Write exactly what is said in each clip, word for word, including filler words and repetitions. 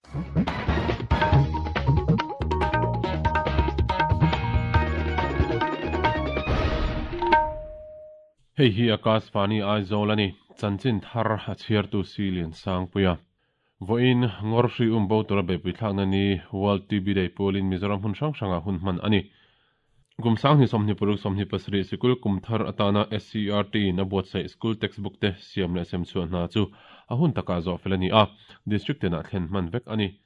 Hei hi Akashvani Aizawl ani chanchin thar a chhiartu Silian Sangpuia. Voin ngor hri um bo tura beipui thlakna ni World T B Day pualin Mizoram hun hrang hranga hun hman ani. Kum sang ni sawmhnih paruk sawmhnih pasarih sikul kum thar atana S C R T na buatsaih school textbook te siam leh sem chhuah hna chu a hun takah zawh fel ani a, district tenah thlen hman vek ani.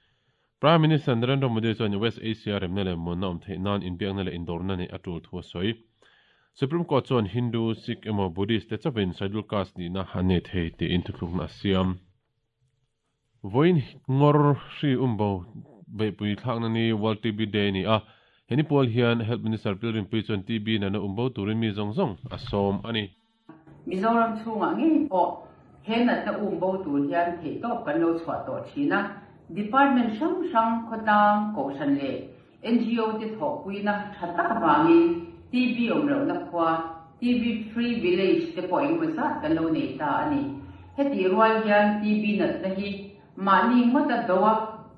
Prime Minister Narendra Modi chuan West Asia remna leh muanna awm theih nan inbiakna leh indawrna nei a tul thu a sawi. Supreme Court chuan Hindu, Sikh emaw Buddhist te chawin scheduled caste nihna an nei thei tiin thuthlukna a siam. Voin ngor hri um bo beipui thlakna ni World T B Day ni a, heni pual hian Health Minister Pilrin Pui chuan T B nana um bo turin mi zawng zawng a sawm ani. Mizoram chhungah ngei pawh he natna um bo tur hian theih tawp kan lo chhuah tawh thin a, Department hrang hrang khawtlang kohhran leh N G O te thawhpuina tha tak avangin T B awm lohna khua T B Free Village te pawh engemaw zat kan lo nei ta ani. Heti rual hian T B natna hi mahni ngawta doa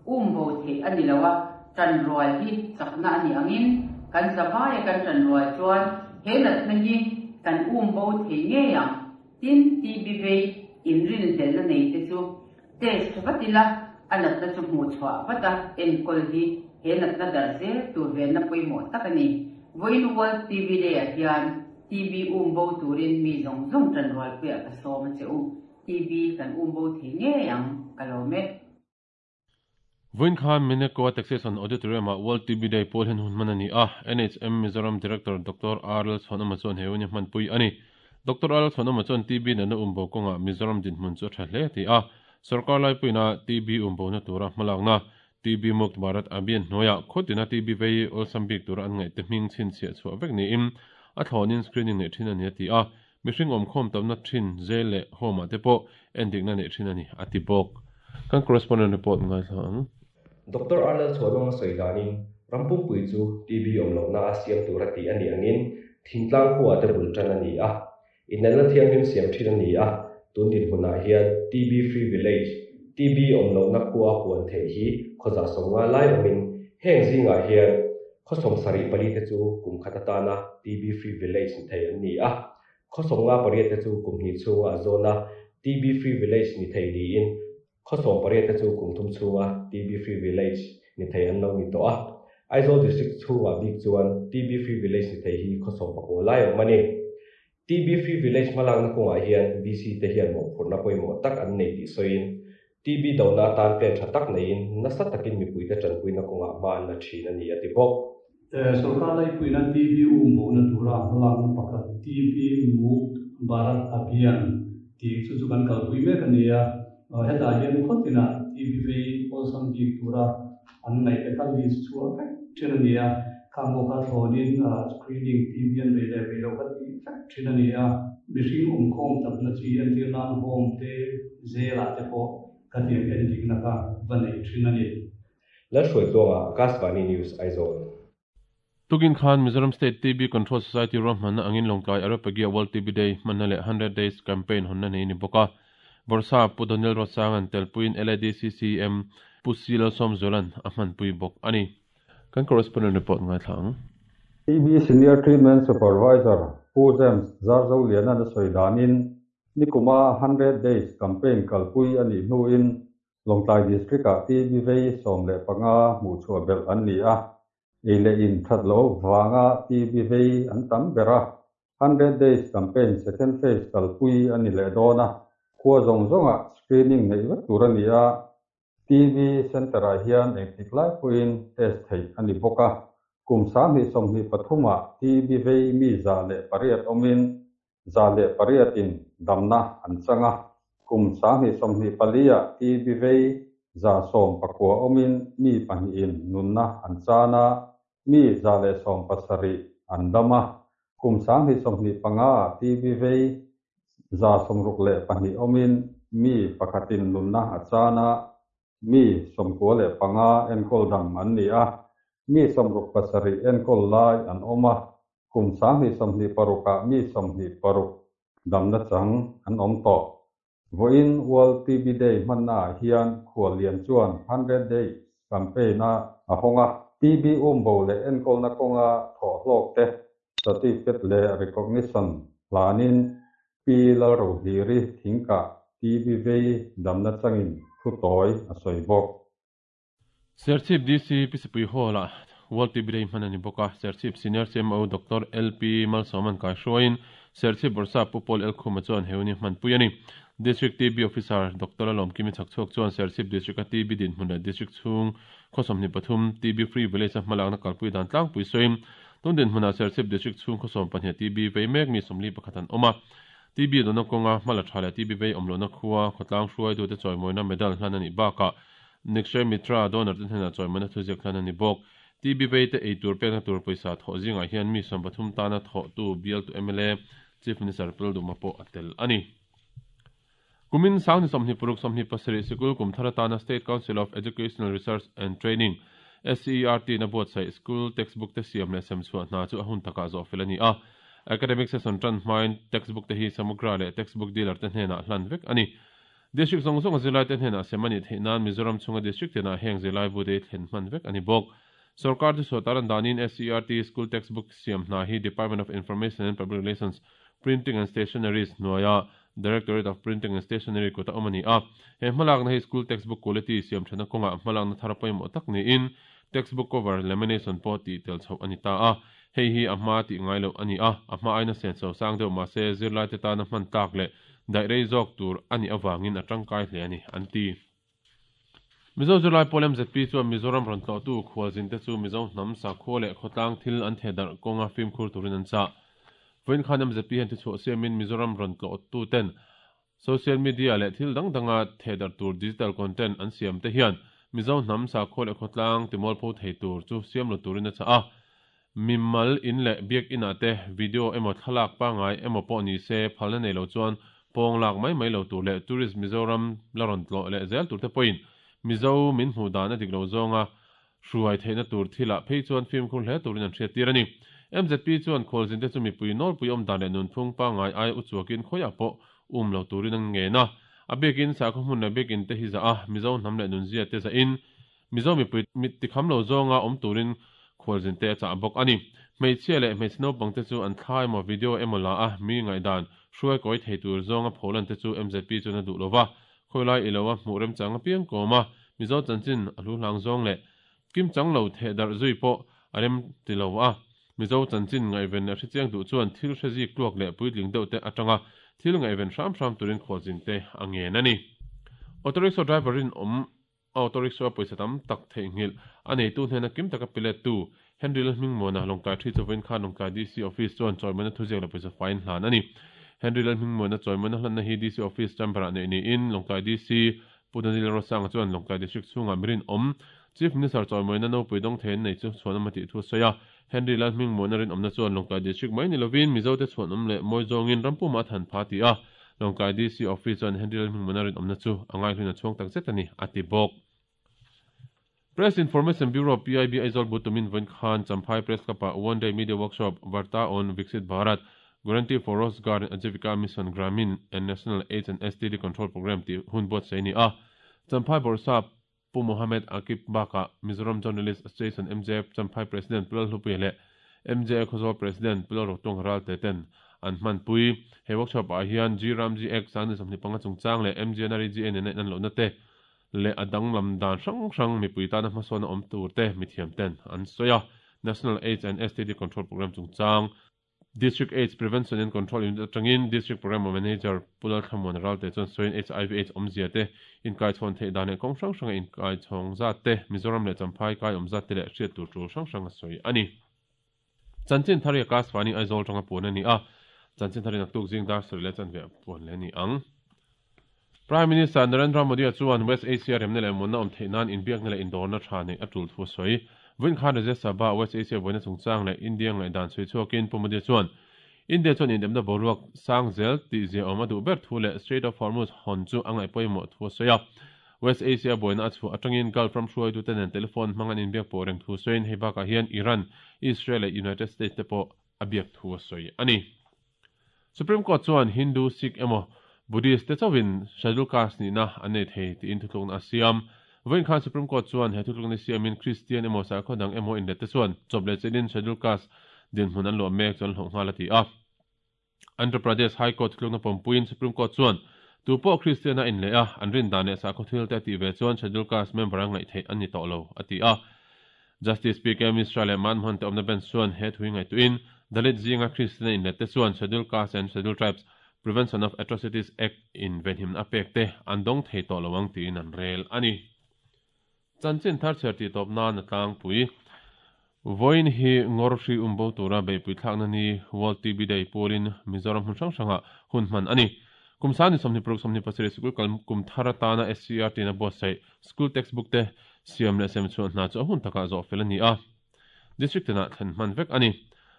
um bo theih ani lo a, tan rual hi chakna ani angin kan zawaia kan tan rual chuan he natna hi kan um bo thei ngei ang. Tin T B vei inrin hlelna nei te chu test vatila a natna chu hmuh chhuah vata enkawl hi he natna dar zel tur venna pawimawh tak ani. Voin World T B Day ah hian T B um bo turin mi zawng zawng tan rual puiah ka sawm a che u. T B kan um bo thei ngei ang ka lo me. Voin khan Mineko Taxation Auditorium ah World T B Day pawl hian hun hman ani a, N H M Mizoram Director Doctor R L Chhuanawma chuan he hun hi hman pui ani. Doctor R L Chhuanawma chuan T B natna um bo kawngah Mizoram dinhmun chu a tha hle ti a, sarkar lai puina T B um bo na tura hmalakna T B Mukt Bharat Abhiyan hnuaiah khawtina T B vei awlsam bik tura an ngaih te hming chhin chhiah chhuah vek niin a thlawnin screening nei thin ani a ti a, mihring awm khawm tamna thin zel leh home ah te pawh endikna nei thin ani a ti bawk. Kan correspondent report ngai thla ang. Doctor R L Chhuanawma sawi danin rampumpui chu T B awm lohna a siam tur a ti ani angin thingtlang khuah te bul tan ani a, inelna thianghlim siam thin ani a, tun dinhmunah hian T B Free Village T B awm lohna khua puan theih hi khawza sawmnga lai awmin heng zingah hian khawsawm sarih pali te chu kum khat atana T B Free Village ni thei an ni a, khawsawmnga pariat te chu kum hnih chhunga a zawna T B Free Village ni thei niin khawsawm pariat te chu kum thum chhunga T B Free Village ni thei an lo ni tawh a. Aizawl District chhungah bik chuan T B Free Village ni thei hi khawsawm pakua lai awm ani. T B Free Village hmalakna kawngah hian V C te hian mawhphurhna pawimawh tak an nei tih sawiin T B dona tan pen tha tak neiin nasa takin mipui te tanpuina kawngah hma an la thin ani a ti bawk. Sarkar lai puina T B um bo na tura hmalakna pakhat T B Mukt Bharat Abhiyan ti chu chu kan kalpui mek ani a, hetah hian khawtina T B vei awlsam bik tura an ngaih te kha list chhuah vek thin ani a, khang pawh kha thlawnin screening T B an vei leh vei lo kha ti vek thin ani a, mihring awm khawm tamna chi entir nan home te zelah te pawh ka tiang endikna kha va nei thin ani. Lalhruaitluanga Akashvani News Aizawl. Tukin khan Mizoram State T B Control Society ruahmanna angin Lawngtlai Areopagia World T B Day hmanna leh hundred Days Campaign hawnna nei ni bawk a. Borsa Pu Daniel Rosangan telpuiin L A D C C M Pu C Lalsawmzualan a hmanpui bawk ani. Kan correspondent report ngai thla ang. T B Senior Treatment Supervisor Pu James Zarzo Liana na sawi danin Nikuma hundred Days Campaign kalpui ani hnuin Lawngtlai District ah T B vei sawm leh panga hmuh chhuah belh an ni a, ei leh in that lo wanga T B vei an tam ber a. hundred Days Campaign second phase kalpui ani leh dawn a, khua zawng zawnga screening nei vek tur ani a, T B Center ah hian engtik lai pawhin test theih ani bawk a, kum sanghnih sawmhnih pathumah T B vei mi za leh pariat awmin za leh pariatin damna an chang a, kum sanghnih sawmhnih pali ah T B vei za sawm pakua awmin mi pahnihin nunna an chan a, mi za leh sawm pasarih an dam a, kum sanghnih sawmhnih panga T B vei za sawmruk leh pahnih awmin mi pakhatin nunna a chan a, mi sawmkua leh panga enkawl dam an ni a, mi sawmruk pasarih enkawl lai an awm a, kum sanghnih sawmhnih parukah mi sawmhnih paruk damna chang an awm tawh. Vawiin World T B Day hmanna ah hian khuallian chuan hundred Days campaign a a hawng a, T B umbo leh enkawlna kawnga thawh hlawk te certificate leh recognition hlanin Pi Lalrohliri Thingkah T B vei damna changin thu tawi a sawi bawk. Serchhip D C Pisipui Hall ah World T B Day hman a ni bawk a, Serchhip Senior C M O Doctor L P Malsawman kaihruaiin Serchhip Bawrhsap Pu Paul Elkhuma chuan he hun hi hmanpui a ni. District T B Officer Doctor Lalawmkimi Chhakchhuak chuan Serchhip District a T B dinhmun leh District chhung khaw sawmhnih pathum T B Free Village a hmalakna kalpui dan tlangpui sawiin tun dinhmunah Serchhip District chhung khaw sawm pahnih T B vei mek mi sawmli pakhat an awm a, T B dawna kawnga hmala tha leh T B vei awm lohna khua khawtlang hruaitute chawimawina medal hlan a nih bakah Nikshay Mitra donor te hnenah chawimawina thuziak hlan a ni bawk. T B vei te eitur pekna tur pawisa thawh zingah hian mi sawm pathum tana thawhtu bialtu M L A Chief Minister Pu Lalduhoma pawh a tel a ni. Kumin sangni sawmhnih paruk sawmhnih pasarih sikul kum thar atana State Council of Educational Research and Training S C E R T na buatsaih school textbook te siam leh sem chhuah hna chu a hun takah zawh fel a ni a. Academic session tan hmain textbook te hi Samagra leh textbook dealer te hnenah hlan vek a ni. District zawng zawng zirlai te hnenah sem a nih theih nan Mizoram chhunga district tenah heng zirlai bu te thlen hman vek a ni bawk. Sarkar chu sawtaran danin S C E R T school textbook siam hna hi Department of Information and Public Relations Printing and Stationeries hnuaia Directorate of Printing and Stationery kut a awm a ni a. He hmalakna hi school textbook quality siam thana kawnga hmalakna thar pawimawh tak niin textbook cover lamination pawh tih tel chhoh a ni ta a. Hei hi a hma tih ngai loh a ni a, a hma aina sen so sang deuh mahse zirlai te tana hman tak leh daih rei zawk tur a nih awangin a tangkai hle a ni an ti. Mizo zirlai pawl M Z P chuan Mizoram rawn tlawhtu khualzin te chu Mizo hnam sakhua leh khawtlang thil an theh darh kawnga fimkhur turin an chah. Vawiin khan M Z P hian tichhuah siamin Mizoram rawn tlawhtu ten social media leh thil dang danga theh darh tur digital content an siam te hian Mizo hnam sakhua leh khawtlang timual pho thei tur chu siam lo turin a chah a. Mimal in leh biak inah te video emaw thlalak pangai emaw pawh ni se phalna nei lo chuan pawng lak mai mai lo tur leh tourist Mizoram la rawn tlawh leh zel tur te pawhin Mizo min hmuh dan a dik lo zawnga hruai theihna tur thilah phei chuan fimkhur hle turin an hriat tir a ni. M Z P chuan khualzin te chu mipui nawlpui awm dan leh nunphung pangai ai uchuakin khawiah pawh um lo turin an ngen a. A biakin sakhaw hmun leh biakin te hi za a Mizo hnam leh nunzia te za in Mizo mipui mit tikham lo zawnga awm turin khualzin te a chah bawk a ni. Hmeichhia leh hmeichhe naupang te chu an thla emaw video emaw la a mi ngaihdan hruai kawi thei tur zawnga pholan te chu M Z P chuan a duh lova. Khawilai i lo a hmuh remchang apiang kawm a Mizo chanchin a hlu hlang zawng leh kim chang lo theh darh zui pawh a rem ti lo a. Mizo chanchin ngaihven a hrechiang duh chuan thil hre zik tluak leh puitling deuh te atanga thil ngaihven hram hram turin khualzin te a ngen a ni. Auto rickshaw driver in awm auto rickshaw pawisa tam tak theihnghilh a neitu hnena kim taka pilet tu Henry Lalhmingmuana Lawngtlai thi chawin khan Lawngtlai D C office chuan chawimawina thuziak leh pawisa fine hlan a ni. Henry Lalhmingmuana chawimawina hlanna hi D C office chamber-ah nei niin Lawngtlai D C Pu Daniel Rosanga chuan Lawngtlai district chhungah mirin awm Chief Minister chawimawina nopui dawng thei an nei chu chhuan awm a tih thu a sawi a. Henry Lalhmingmuana rin awmna chuan Lawngtlai district mai ni lovin Mizo te chhuan awm leh mawi zawngin rampuma a than pha ti a. Lawngtlai D C office chuan Henry Lalhmingmuana rin awmna chu a ngaihlun a chhuang tak zet a ni a ti bawk. Press Information Bureau P I B Aizawl butumin vawiin khan Champhai Press Club-ah One Day Media Workshop Varta on Viksit Bharat Guarantee for Rozgar and Ajeevika Mission Gramin and National AIDS and S T D Control Program tih hun buatsaih a ni a. Champhai Bawrhsap Pu Mohammed Akib bakah Mizoram Journalist Association M J F Champhai President Pu Lalhlupuia leh M J A Khawzawl President Pu Lalrotuang Ral te ten an hmanpui. He workshop ah hian G Ram G Act sangni sawmhnih panga chungchang leh M G N R E G A nena in an lohna te leh a danglam dan hrang hrang mipui tana hmasawn a awm tur te mithiam ten an sawi a. National AIDS and S T D Control Program chungchang District AIDS Prevention and Control Unit atangin District Program Manager Pu Lalthlamuan Ral te chuan sawiin H I V AIDS awmzia te inkai chhawn theih dan leh kawng hrang hranga inkai chhawng zat te Mizoram leh Champhai kai awm zat te leh hriat tur tul hrang hrang a sawi a ni. Chanchin thar hi Akashvani Aizawl tanga puan a ni a. Chanchin thar hi naktuk zing dar sarih leh chanve puan leh a ni ang. Prime Minister Narendra Modi chuan West Asia remna leh munna awm theih nan inbiakna leh indawrna tha nei a tul thu a sawi. Vawiin khan Rajya Sabha West Asia buaina chungchang leh India ngaihdan sawi chhuakin Pu Modi chuan India chuan indemna boruak sang zel tih zia awm a duh ber thu leh Strait of Hormuz hawn chu a ngaih pawimawh thu a sawi a. West Asia buaina a chhuah atangin Gulf ram hruaitu te nen telephone hmang an inbiak pawh reng thu sawiin hei bakah hian Iran, Israel leh United States te pawh a biak thu a sawi a ni. Supreme Court chuan Hindu Sikh emaw Buddhist te chawin Scheduled Caste ni na an nei thei ti in thutlukna a siam. Vawiin khan Supreme Court chuan he thutlukna siamin Christian emaw sakhaw dang emaw inlet te chuan chawp leh chelin Scheduled Caste dinhmun an luah mek chu an hlawh nghal a ti a. Andhra Pradesh High Court thutlukna pawmpuiin Supreme Court chuan tu pawh Christian a inleh a, an rin dan leh sakhaw thil te a tih ve chuan Scheduled Caste member a ngaih theih an ni tawh lo a ti a. Justice P K Mishra leh Manmohan te awmna bench chuan he thui ngaihtuahin Dalit zinga Christian a inlet te chuan Scheduled Caste and Scheduled Tribes Prevention of Atrocities Act in venhimna a pek te an dawng thei tawh lo ang tiin an rel a ni. Chanchin thar chhiar tih tawp nan a tlangpui. Vawiin hi Ngawrhri umbo tura beihpui thlakna ni World T B Day pualin Mizoram hmun hrang hrangah hun hman a ni. Kum sani sawmhnih paruk sawmhnih pasarih sikul kal kum thar atana S C R T na buatsaih school textbook te siam leh sem chhuah hna chu a hun takah zawh fel a ni a. District tinah thlen hman vek a ni.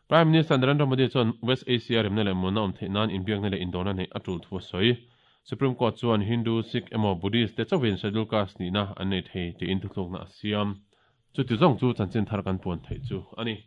Prime Minister Narendra Modi chuan West Asia remna leh muanna awm theih nan inbiakna leh indawrna neih a tul thu a sawi. Supreme Court chuan Hindu, Sikh emaw Buddhist te chauhin Scheduled Caste nihna an nei thei tiin thutlukna a siam. Chuti zawng chu chanchin thar kan puan theih chu a ni.